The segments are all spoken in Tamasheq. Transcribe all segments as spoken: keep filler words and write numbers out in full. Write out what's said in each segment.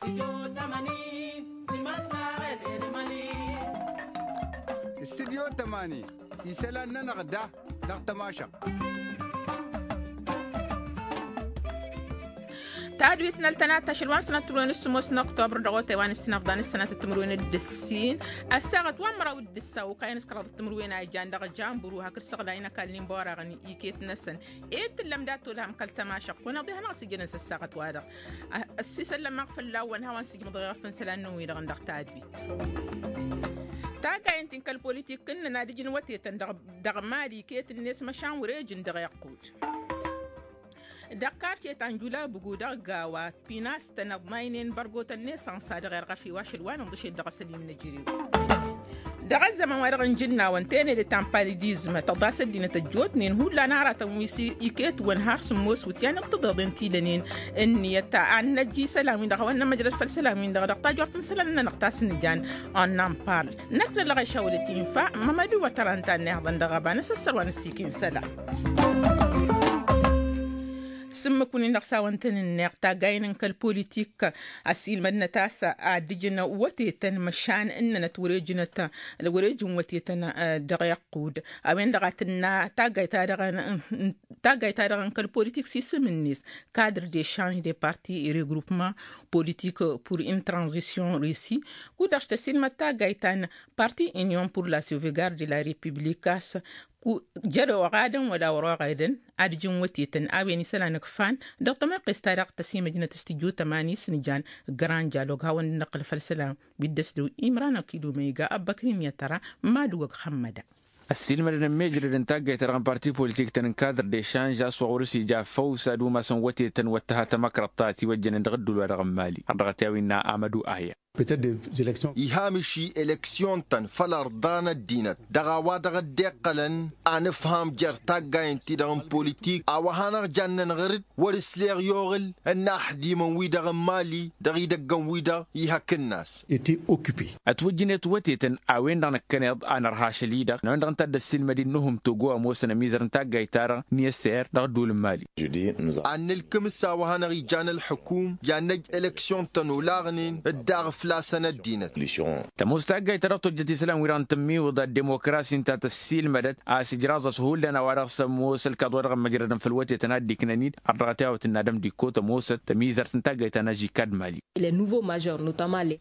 Studyo tămani isălan-nănăɣ da dăɣ-tămašăɣt. Tadwit n-ăltănat ašăl wa n-sănat timǝrwen s-sămoos n-oktobăr dăɣ-otay wa n-ǝssin afḍan s-sănat timǝrwen d-ǝssin ăssaɣăt wa n-măraw d-ǝssa okayăn s-kăraḍăt timǝrwen a ijan dăɣ-janburu hakd săɣlayăn ăkall n-inbăwăraɣăn iket-năsăn. Ed tǝllăm dat-olhăm kăl-tămašăɣt kăwăn-iḍehanăɣ s-ijăn n-săssaɣăt-wa-dăɣ. Ăssiisăllămăɣ fălla-wăn hawăn-sǝjmǝḍ ɣef n-isălan-năwăn-wi-dăɣ n-dăɣ tadwit. Taggayăn-t-in kăl-politik ǝnnăn ad-ǝjǝn wătetăn dăɣ-mali iket-net măšan wăr-ejǝn dăɣ-iqqud. Dăɣ-karce ta n-jula bǝgu dăɣ-gawa pinastăn ăḍnaynen bărgotăn nesănsa dăɣ-erɣăf i-wa ašăl wa n-inḍǝšed dăɣ-asăl-in n-ejărew. Dăɣ-ăzzăman-wa-dăɣ n-jǝnnawăn tenede ta n-palidizm tăḍas ăddinăt ăjjootnen hullan aratăn wi s-iket-wăn har sǝmmos wǝtyan d-tiḍeḍen ti lănen ǝnniyăt ad-năj isălan-win-dăɣ hawăn-nămăjrăd făll-isălan-win-dăɣ dăɣ-tajort n-isălan-nănăɣ ta s-nǝjan. Ănnănpal năkk d-ălɣeš a wălăt infa mămădu wătărăn ta n-ehăḍăn dăɣ-ăba n-asăssăr wa n-ăssiiken isălan. S-ǝmmǝk-win-dăɣ s-a-wăn tăn-ǝnneɣ taggayen n-kăl-politik ăsiilmădnăt a-s ad-ǝjǝn wătetăn măšan ǝnnănăt wăr-ejǝnăt wăr-ejǝn wătetăn. Dăɣ-iqqud a-wen-dăɣ a tǝnna taggayt-ta-dăɣ n-kăl-politik s-isǝm-net kadr de change de parti regroupement politik pour une transition reussite. Kud-dăɣ s-tăsiilmăd taggayt ta n-parti union pour la sauvegarde de la republika s-jăr oɣadăn wăla wăr-oɣadăn ad-ǝjǝn wătetăn a-wen isălan ǝkfan dăɣ-tămoqqes-ta-dăɣ tăsimăjnăt s-tijutămani s-nǝjan grand dialog hawăn-dd-năqqǝl făll-isălan wi dd-ăsdăw imran akilu ma iga ăbbăkrin i-ad-tăra mad-uwăg xămmăda. Ăssiilmădăn ămmejrădăn taggayt-ta-dăɣ n-parti politik-tăn n-kadr de šanž a-s wa ɣur-s ija făw s-ad-umasăn wătetăn wăr tǝha tamăkrăḍt ta ătiwăjjănen dăɣ-ădduul-wa-dăɣ n-mali ărdăɣăt i-a-wa innă amădu aya. Iha miši eleksyon-tăn făll-ărḍa n-ăddinăt dăɣ-a-wa dăɣ-dd-iqqălăn anǝfham jer-taggayen-ti-dăɣ n-politik a-wa hanăɣ-jannen ɣǝr-dd wăr-ǝsleɣ i-oɣǝl n-inaxdimăn-wi-dăɣ n-mali dăɣ-idăggăn-wi-dăɣ ihăkk ǝnnas. Ătwǝjjǝnet wătetăn a-wen-dăɣ năkkăneḍ a nărha ašăl-i-dăɣ n-a-wen-dăɣ ǝnta a dd-ăssiilmăd-in n-uhǝm togo ămoosăn ămizăr n-taggayt-ta-dăɣ n-i-ăsseyăr dăɣ-ădduul n-mali. Ad-nǝlkǝm s-a-wa hanăɣ-ijan ălxǝkum i-ad-năj eleksyon-tăn olaɣnen dd-aɣ flasăn ăddinăt. Tămoos taggayt-ta-dăɣ tojjăt isălan-wi-dăɣ n-tǝmmiwǝḍa d-demokrasi ǝnta tăssiilmădăt a-s ijraẓ-as hullan a-wa dăɣ-s ămoos ălkaḍ-wa-dăɣ ămmăjrădăn făll-wătetăn ad-dd-iknăn-dd ărdăɣăt i-a-wa tǝnnadăm d-ikko tămoosăt tămizărt n-taggayt ta n-ažikad mali.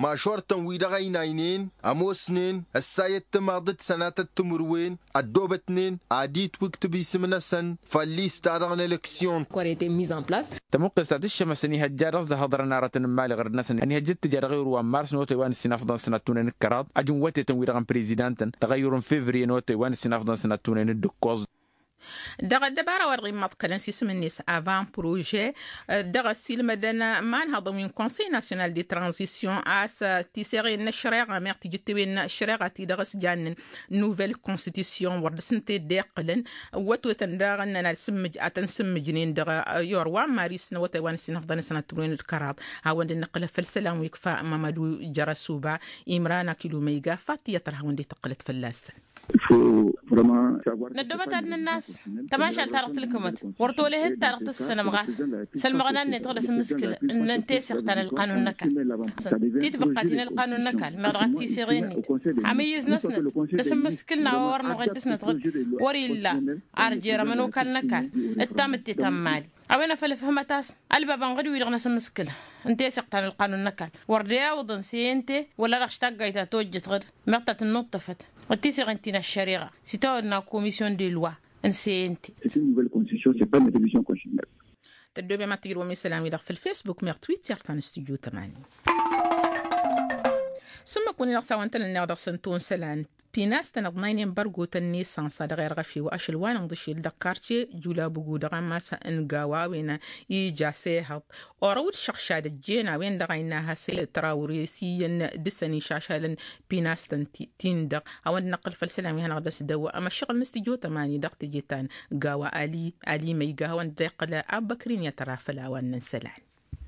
Mažor-tăn-wi-dăɣ ăynaynen ămoosnen ăssayăt timaḍ d-sănatăt timǝrwen ăddoobătnen ad-itwǝktǝb isǝm-năsăn făll-lista-dăɣ n-eleksyon. Tămuqqes ta tǝššămăsăn ihăjja dăɣ-s d-ahăḍrăn aratăn n-imali ɣărăd-năsăn ănihăjja d-tǝja dăɣ-ayǝr wa n-mars n-otay wa n-ǝssin afḍăn sănat tunen d-kăraḍ ajǝn wătetăn-wi-dăɣ n-prezidan-tăn dăɣ-ayǝr n-fevriye n-otay wa n-ǝssin afḍăn sănat tunen d-ǝkkoẓ. Dăɣ-ăddăbara wa dăɣ-immăḍkălăn s-isǝm-net avan prože dăɣ-ăssiilmădăn imanhăḍăn wi n-konsăy nasyonal de tranzisyon a-s tiseɣen n-ăššăreɣa meɣ tijǝttewen n-ăššăreɣa ti-dăɣ s-jannen nuvel konstitisyon wăr dăr-s ǝnta i-dd-iqqǝlăn. Ăwwătwetăn daɣ ǝnnăn ad-sǝmmǝj ad-tăn-sǝmmǝjnen dăɣ-iyor wa n-maris n-awătay wa n-ǝssin afḍăn sănat timǝrwen d-kăraḍ. Hawăn-dd-nǝqqǝl afăl isălan wi ikfa mamădu jăr-ăsuba imran akilu ma iga fat tiyyăt tăr hawăn-dd-tǝqqǝlăt fălla-săn. Năddoobăt ad-nǝnn'-as tămašalt-ta-dăɣ tǝlkǝmăt wăr tolehăt ta-dăɣ tǝssănăm ɣas sălmăɣna-net dăɣ-dăr-s ǝmmǝskǝl n-teseɣt ta n-ălqanun n-ăkall. Titbăqqa ti n-ălqanun n-ăkall meɣ dăɣ-ăttiseɣen-net amǝyyǝz-năsnăt dăr-s ǝmmǝskǝl n-a-wa wăr noɣed dăr-snăt ɣǝd wăr-illa ar jer-ămănokal n-ăkall d-tamǝtte ta n-mali. A-wen a făl ǝfhǝmăt a-s ălbabăn ɣǝd-wi-dăɣ n-asǝmmǝskǝl n-teseɣt ta n-ălqanun n-ăkall wăr dd-e-awǝḍăn seyente wăla dăɣ-aštaggayt ta tojjăt ɣǝd meɣ ta tǝnnuṭṭăfăt d-tiseɣen ti n-ăššăreɣa s-itawănna komisyon de loi n-seyente. Tăddoobem ad-tǝjrǝwăm isălan-wi-dăɣ făll-facebook meɣ twitter ta n-studyo tămani. S-ǝmmǝk-win-dăɣ s-a-wa n-tăn-ǝnneɣ dăɣ-săn tonsălan pinastăn ăḍnaynen bărgotăn n-esănsa dăɣ-irɣăf-ew ašăl wa n-inḍǝšel dăɣ-karce julabugu dăɣ-ammas n-gawa a-wen ija s-ehăḍ orăw d-šăɣšad ăjjeen a-wen-dăɣ a innă has-e tărawre s-iyyăn dăr-săn išašalăn pinastăn-ti-dăɣ. Hawăn-dd-năqqǝl făll-isălan wi hanăɣ-dd-ăsdăw amăššăɣǝl n-studyo tămani dăɣ-teje ta n-gawa ali ma iga hawăn-dd-iqqǝl abbăkrin i-ad-tăra făll-a-wa ǝnnăn isălan.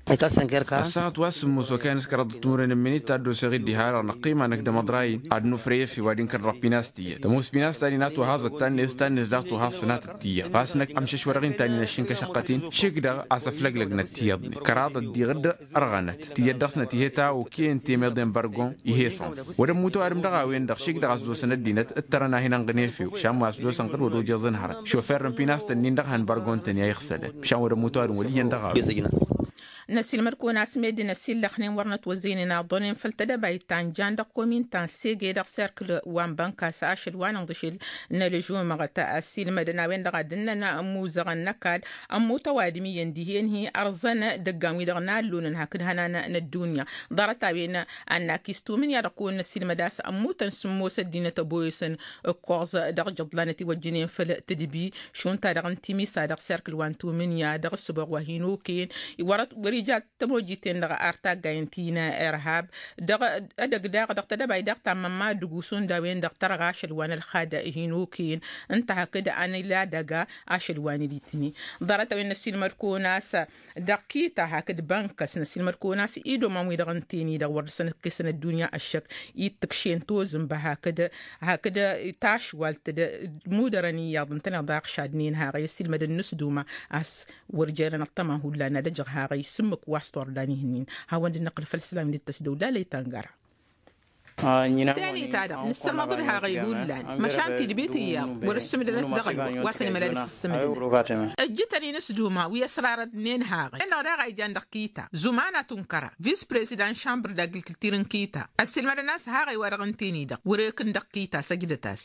Ăssaɣăt wa s-sǝmmos wa kăyăn s-kăraḍăt timǝrwen n-imǝnit ta dd-oseɣ-dd diha-dăɣ năqqima năkk d-amăḍrayăn ad-năfrăy efew ad-inkăr dăɣ-pinast tiyyăt tămoos pinast ta din a tuhaẓăt ta-net ta-net daɣ tuhaẓ tǝnatăt tiyyăt ɣas năkk ămšăšwădăɣ-in ta din ăššǝnkăšăqqăt-in šik-dăɣ a-s ăflăglăgnăt tiyyăḍnen kăraḍăt diɣ-dd ărɣănăt tiyyăt dăɣ-snăt ih'-e ta okăyăn temeḍe n-bărgon ih'-e săns wăr ămmut ăwadǝm dăɣ-a-wen-dăɣ šik-dăɣ a-s dd-osăn ăddinăt ǝttărăn a hin-ănɣǝn efew šan wa a-s dd-osăn ɣǝd wăr ojăẓăn hărăt šofer n-pinast-nin-dăɣ han bărgon-tăn i-a iɣsălăn šan wăr ămmut ăwadǝm wăl' iyyăn dăɣ-a-wen. Năsilmăd-kăwăn a-s meddǝn ăsillăxnen wăr nătwăzzăynen aḍănen făll-tedăbayt ta n-jan dăɣ-komin ta n-sege dăɣ-serkǝl wa n-bănkas ašăl wa n-inḍǝšel n-ălžumăɣăt ăssiilmădăn a-wen-dăɣ a dd-ǝnnăn imuzăɣăn n-ăkall ămmut ăwadǝm iyyăn dihen-hi ărẓăn dăggan-wi-dăɣ n-allonăn hakd hănan n-ăddunya. Ḍarăt-a-wen a n-akis tumǝnya dăɣ-kăwăn năsilmăd a-s ămmutăn sǝmmos ăddinăt ăboyăsăn ǝkkoẓ dăɣ-jăḍlanăt iwăjjănen făll-tǝdbi šund ta-dăɣ n-timisa dăɣ-serkǝl wa n-tumǝnya dăɣ-ǝssǝboɣ wa hin-okăyăn. Wăr-ija tămojiten-dăɣ ar taggayăn ti n-irhab dăɣ-edăgg daɣ dăɣ-tedăbayt daɣ tammămma d-ǝggu šund a-wen-dăɣ tărɣa ašăl wa n-ălxad hin-okăyăn ǝnta hakd a n-ila dăga ašăl wa n-ilitni. Ḍarăt-a-wen năsilmăd-kăwăn a-s dăɣ-kita hakd bănkăs năsilmăd-kăwăn a-s idoman-wi-dăɣ ǝnten-i-dăɣ wăr dăr-săn ǝkkesăn ăddunya ăššăk ittǝkšen tozǝnba hakd hakd tašwalt d-mudărăn iyyăḍ ǝntăneḍ a ăɣšadnen haɣăy ăssiilmădăn n-asduma a-s wăr jărăn ăṭṭăma hullan ad-ăjăɣ haɣăy s-ǝmmǝk wa s-tordan ih'-ǝnnin. Hawăn-dd-năqqǝl făll-isălam d-tăsdăwlalăy ta n-gara. Teni-ta-dăɣ nǝssărmăḍ-dd haɣăy hullan măšan tidbit iyyăḍ wăr-ǝssǝmdănăt dăɣ-ălwăqq wa săn imăla d-asǝssǝmdănăt. Ǝjjǝtăn-in s-duma wi ăsrarădnen haɣăy-en-dăɣ daɣ a ijan dăɣ-kita zumana tunkăra vis-prezidant n-šambăr d-agǝlkǝltir n-kita ăssiilmădăn a-s haɣăy-wa-dăɣ ǝnten-i-dăɣ wăr-ekǝn dăɣ-kita săjdăt-as.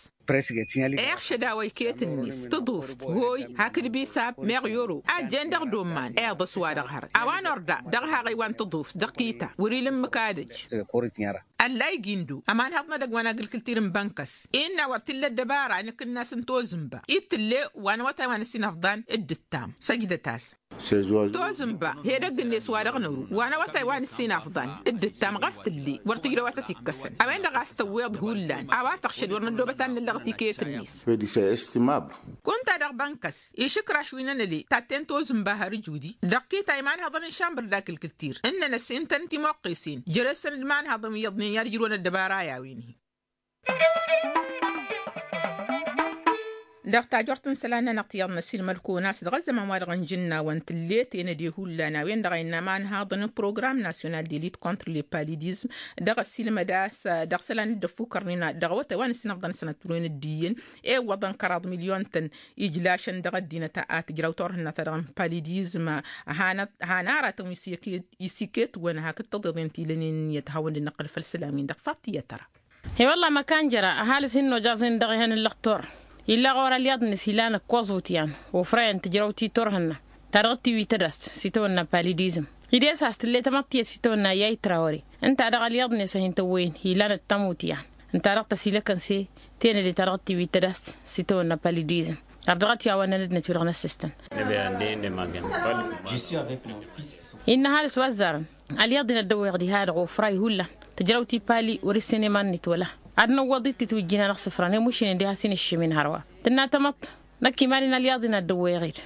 Eɣ šăd a-wa iket-net tǝḍuft hoy hakd bisab meɣ i-oro a jen dăɣ-domman iḍǝs-wa-dăɣ hărăt a-wa n-orda dăɣ-haɣăy wa n-tǝḍuft dăɣ-kita wăr-ila ǝmmǝk ad-ăj. Ăllay gindo ămanhăḍ n-edăgg wa n-agǝlkǝltir n-bănkăs innă wăr t-illa ăddăbara a nǝkǝnnas n-tozǝnba i-t-tǝlle wa n-awătay wa n-ăssinăfḍan. D-ǝttam săjdăt-as. Tozǝnba hedăgg-net wa dăɣ-năru wa n-awătay wa n-ăssinăfḍan d-ǝttam ɣas tǝlle wăr tǝjrăw a tăt-ikkăsăn a-wen-dăɣ a-s tăwweḍ hullan a-wa tăɣšăd wăr năddoobăt ad-năllăɣăt iket-net. Kunta dăɣ-bănkăs išǝkraš wi n-ănăle tatten tozǝnba har ǝjudi dăɣ-kita imanhăḍăn n-šambăr d-akǝlkǝltir ǝnnăn ăssintăn timoqqesen jere-săn d-imanhăḍăn wi iyyăḍnen i-ad-ǝjrǝwăn ăddăbara i-a-wen-hi. Dăɣ-tajort n-isălan-nănăɣ tiyyăḍ n-ăsilmăd-kăwăn a-s dăɣ-ăzzăman-wa-dăɣ n-ijǝnnawăn tǝllet enăde hullan a-wen-dăɣ a innă amanhaḍăn n-program national de lit contre le palidism dăɣ-ăsilmăd a-s dăɣ-isălan dd-ăffukărnen dăɣ-awătay wa n-ǝssinăfḍăn sănăt turwen d-iyyăn iwwăḍăn kăraḍ milyon-tăn ijlašăn dăɣ-ăddinăt a tǝjraw turhǝnna-ta-dăɣ n-palidism. Han aratăn wi s-iket-wăn hakd tăḍeḍen ti lănen iyyăt hawăn-dd-năqqǝl făll-isălam-in-dăɣ faḍt iyyăt ăra. He-wălla măkan jăra ăhalǝs hin-nojaẓ-in dăɣ-ehăn n-lăxtor illa ɣur-alyaḍ-net ilan ǝkkoẓ utyan ofrayăn tǝjrăw ti turhǝnna ta dăɣ-tiwit tădast s-itawănna palidism. Ides a-s tǝlle tamăḍt tiyyăt s-itawănna iyyăy trawăre ǝnta dăɣ-alyaḍ-net a hin-tăwwăyăn ilan ăttămutyan ǝnta dăɣ-tăsilăkăn s-e tenăde ta dăɣ-tiwit tădast s-itawănna palidism. Ărdăɣăt i-a-wa ǝnnăn ăddinăt-wi-dăɣ n-ăssistăn. Innă ăhalǝs wa ăzzarăn alyaḍ-in ad-dăwweɣ diha-dăɣ ofray hullan tǝjrăw tipali wăr-issǝn iman-net wăla ad-năwwăḍ d-titwǝjjin-anăɣ isǝfran i-mušinen diha s-inǝššǝm-in hărwa. Tǝnna tamăḍt năkk iman-in alyaḍ-in ad-dăwweɣ-dd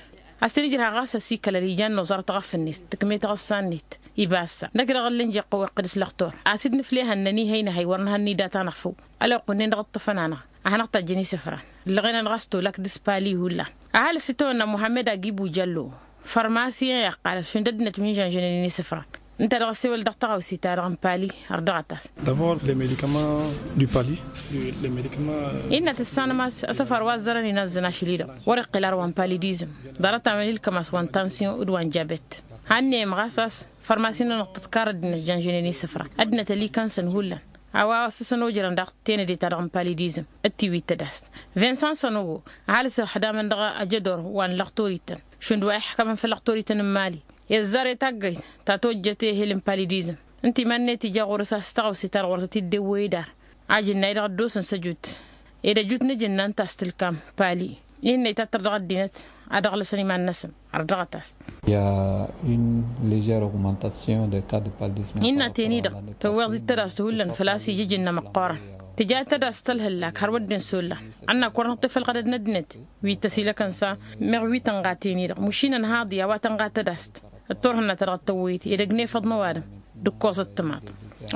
a-s tăn-ijrăha ɣas ăsikălăl ijan noẓăr taɣăf-net tǝkme taɣǝssa-net. Ibassa năkk dăɣ-ăllin jeqqăw iqqǝd s-lăxtor a-s dd-nǝflehăn nănihăy năhăy wăr nǝhăn nidata-năɣ făw. Ălwăqq-wǝnnin dăɣ-ǝṭṭăfăn-anăɣ ad-hanăɣ-tajjăn isǝfran. Ǝllăɣen-anăɣ a-s tolak d-ispali hullan. Ăhalǝs itawănna muhammed agibu jallo farmasiyen iqqalăt šund ăddinăt wi n-žănžănen isǝfran. Ǝnta dăɣ-ăssewăl dăɣ-taɣawse-ta-dăɣ n-pali. Ărdăɣăt-as. D'abord les medicaments du pali. Les medicaments. Innă tǝssanăm a-s asăfar wa ăzzărăn inazzăn ašăl-i-dăɣ wăr-iqqǝl ar wa n-palidism. Ḍarăt-a-wen ilkăm a-s wa n-tansiyon d-wa n-jabet. Hannăyăm ɣas a-s fărmasi-nănăɣ tǝḍkar ăddinăt žănžănen isǝfran ăddinăt ălikăn-săn hullan. A-wa ăssăsăn ojărăn daɣ tenăde-ta-dăɣ n-palidism d-tiwit tădast. Vincent sănogo ăhalǝs ăxdamăn dăɣ-ajădor wa n-lăxtorităn šund wa iḥkămăn făll-lăxtorităn n-mali. Izzar i-taggăyt ta tojjăt ehel n-palidism ǝnta iman-net ija ɣur-s a-s taɣawse-ta-dăɣ wăr tăt-dd-ewwăy idar. Ajǝnnay dăɣ-ăddoosăn s-ăjut ed ăjut n-ajǝnna ǝnta a-s tǝlkam pali. Innă itattăr dăɣ-ăddinăt ad-ăɣlăsăn iman-năsăn. Ărdăɣăt-as. Innă teni-dăɣ tăwweḍ-dd tădast hullan făl-a-s ija ajǝnna măqqoorăn. Tǝja tădast tălhǝllak hărwa dd-insolla. Ănnak wăr nǝṭṭef ălɣădăd n-ăddinăt wi tăsilăkăn s-a meɣ wi tănɣa teni-dăɣ mušinăn haḍi a-wa tănɣa tădast. Ăttorhǝnna-ta-dăɣ ăttăwwăyăd edăgg n-efăḍ n-ăwadǝm d-ǝkkoẓăt timaḍ.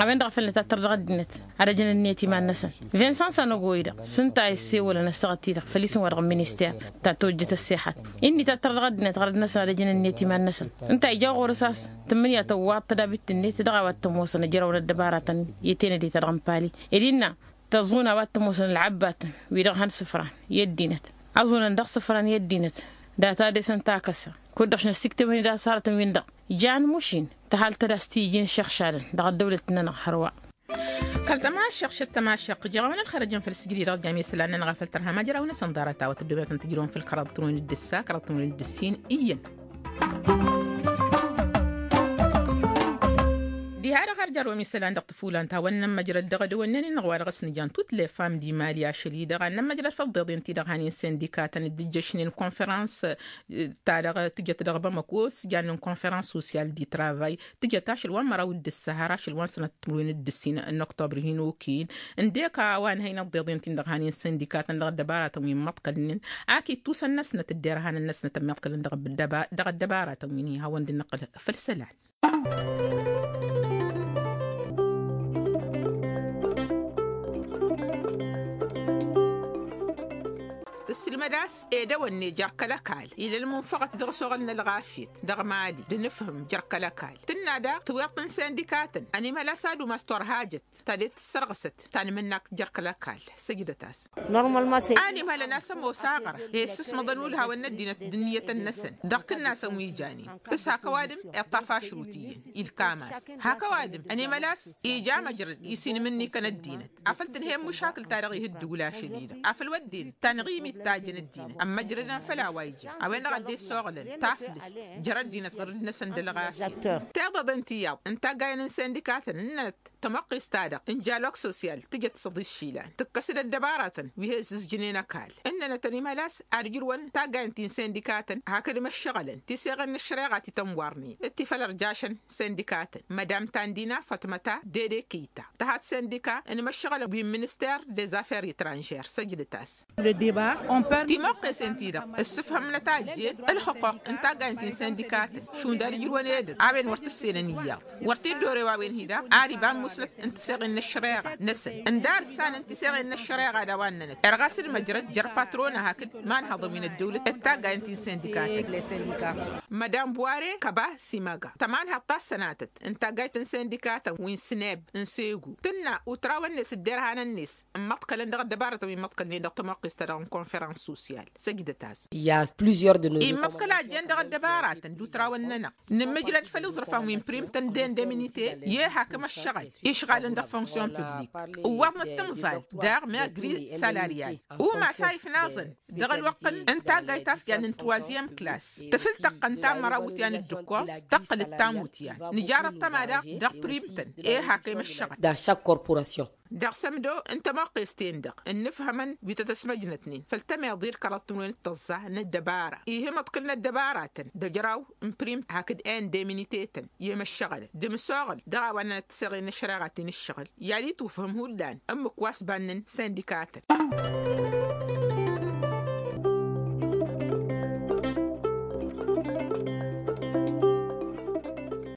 A-wen-dăɣ a făl nǝtattăr dăɣ-ăddinăt ad-ăjăn ǝnniyăt iman-năsăn. Vincent sanogo-i-dăɣ s-ǝnta a issewălăn ăssaɣăt-i-dăɣ făll-isǝm wa dăɣ-minister ta tojjăt ăssexat. Inn' itattăr dăɣ-ăddinăt ɣărăd-năsăn ad-ăjăn ǝnniyăt iman-năsăn. Ǝnta a ija ɣur-s a-s tǝmmǝnǝya tăwwaḍ tădabit-net dăɣ-a-wa t-ămoosăn ăjrăwăn ăddăbaratăn i-tenăde-ta-dăɣ n-pali ed innă tăẓun a-wa t-ămoosăn ălɣăbbatăn wi-dăɣ han sǝfran i-ăddinăt. Ăẓunăn dăɣ-sǝfran i-ăddinăt data dăɣ-s ǝnta a kăsa kud-dăɣ šnăssiktăwăn-dd a-s hărătăn-win-dăɣ jan mušin tăhalt-dd a-s t-ijin šăɣšadăn dăɣ-ăddăwlăt-nănăɣ hărwa. Kăl-tămašăɣ šăt tămašăɣ jăɣawăn ălxărăjăn făll-sǝjdǝy dăɣ-jami isălan-nănăɣ a făl tărha majrawăn-asăn ḍarăt a-wa tǝddǝwătăn tǝjrăwăn făll-kăraḍ tǝnwăyăn d-ǝssa kăraḍ tǝnwăyăn d-ǝssin iyyăn. Diha-dăɣ har jarwăm isălan dăɣ-tǝfulant hawăn-nămmăjrăd dăɣ-edăwănnen-in-dăɣ wa dăɣ-s nǝjan tut lefam d-imali ašăl-i-dăɣ ad-nămmăjrăd făll-iḍeḍen-ti-dăɣ han-in-sindikatăn d-ǝjjăšnen konfărans ta-dăɣ tǝjăt dăɣ-bamăko s-jannen konfărans sosyal di travay tǝjăt ašăl wa n-măraw d-ǝssa har ašăl wa n-sănăt timǝrwen d-ǝssin n-oktobr hin-okăyăn. Ǝndek a-wa n-hăynăt d-iḍeḍen-ti-dăɣ han-in-sindikatăn dăɣ-ăddăbaratăn wi n-imăḍkălnen ak ittusăn-năsnăt d-derhanăn-năsnăt ămmiḍkălăn dăɣ-ăddăbaratăn wi n-ihawăn d-năqqăl făll-isălan. Ǝssǝlmăd a-s edăwănne jer-kăl-ăkall ila ălmunfăɣăt dăɣ-s oɣăl n-ălɣafyăt dăɣ-mali d-nǝfhǝm jer-kăl-ăkall tǝnna daɣ tǝwweḍt n-sindikatăn ănimhăl a-s ad-umas turhajăt ta ded-tǝssărɣǝsăt ta n-imǝnnak jer-kăl-ăkall. Săjdăt-as. Normalma se animhălăn a-s ămoos aɣăra i-issǝsmăḍăn ulhawăn n-ăddinăt d-ǝnniyătăn-năsăn dăɣ-kǝnnasăn wi janen s-hak ăwadǝm iṭṭaf ašrut iyyăn ilkam-as hak ăwadǝm ănimăl a-s ija măjrăd isinǝm ǝnnikăn ăddinăt afăl tǝnhăyăn măšakǝl-ta-dăɣ ihǝddǝwǝl ašăl-i-dăɣ afăl wădden tanɣimit ta jăn ăddinăt ămmăjrădăn făll-a-wa ija a-wen-dăɣ a dd-issooɣlăn taflǝst jer-ăddinăt ɣǝrǝd-năsăn d-ălɣafyăt. Tiḍăḍen tiyyăḍ n-taggayăn n-sindikatăn ǝnnănăt tămoqqist-ta-dăɣ n-jalok sosyal tǝjăt s-ăḍis išilan tǝkkăs-dd ăddăbaratăn wi he-ǝzzǝzjǝnen ăkall ǝnnănăt ănimhăl a-s ad-ǝjrǝwăn taggayăn ti n-sindikatăn hakd imăššăɣălăn tiseɣen n-ăššăreɣa ti tănwarnen d-ti făl ărjašăn sindikatăn mădam tandina fatmăta dede kiyta tăhat sindika n-imăššăɣălăn wi n-minister des affaires etranžer săjdăt-as. Timuqqesen-ti-dăɣ ǝssǝfhǝmnăt a ăjjeen ǝlxǝquq n-taggayăn ti n-sindikatăn šund ad-ǝjrǝwăn edăgg a-wen wăr t-ǝssenăn iyyăḍ wăr t-dd-orew a-wen hi-daɣ ar iba ămmusnăt n-tiseɣen n-ăššăreɣa-năsăn ǝndar ǝssanăn tiseɣen n-ăššăreɣa d-a-wa ǝnnănăt irɣas d-măjrăd jer-patrona hakd imanhăḍăn wi n-ăddăwlăt d-taggayăn ti n-sindikatăn. Mădam buware kăba simăga tămanhăḍt ta s-sănatăt n-taggayt n-sindikatăn wi n-sǝneb n-segu tǝnna utrawăn-net d-derhanăn-net ǝmmăḍkălăn dăɣ-ăddăbaratăn wi ǝmmăḍkălnen dăɣ-tămoqqist-ta-dăɣ n-konferans sosyal. Săjdăt-as. Immăḍkăl a ăjjeen dăɣ-ăddăbaratăn d-utrawăn-nănăɣ nǝmmǝjlăd făll-iẓrǝfan wi n-prim-tăn d-indemnite i-hakăm ăššăɣǝl išɣalăn dăɣ-fonksyon publik ǝwwaḍnăt timẓal daɣ meɣ gri salaryal umas a ifnaẓăn dăɣ-ălwăqq n-taggayt a-s jannen troizyem klas tǝfǝl tăqqăn tamăra wutyan d-ǝkkoẓ tăqqǝl d-tamutyan nǝjar ăṭṭăma daɣ dăɣ-prim-tăn i-hakăm ăššăɣǝl. Dăɣ-sămdo n-tămoqqes-ten-dăɣ ǝnnǝfhămăn wi tăt-ăsmăjnătnen făll-tămeḍe d-kăraḍ tǝnwen d-tăẓẓa n-ăddăbara ihǝmăḍkǝl n-ăddăbaratăn d-ăjraw n-prim hakd indemnite-tăn i-imăššăɣălăn d-imǝsoɣǝl dăɣ-a-wa ǝnnănăt tiseɣen n-ăššăreɣa ti n-ǝššăɣǝl i-ad-itwǝfhǝm hullan ǝmmǝk wa s-bannen sindikatăn.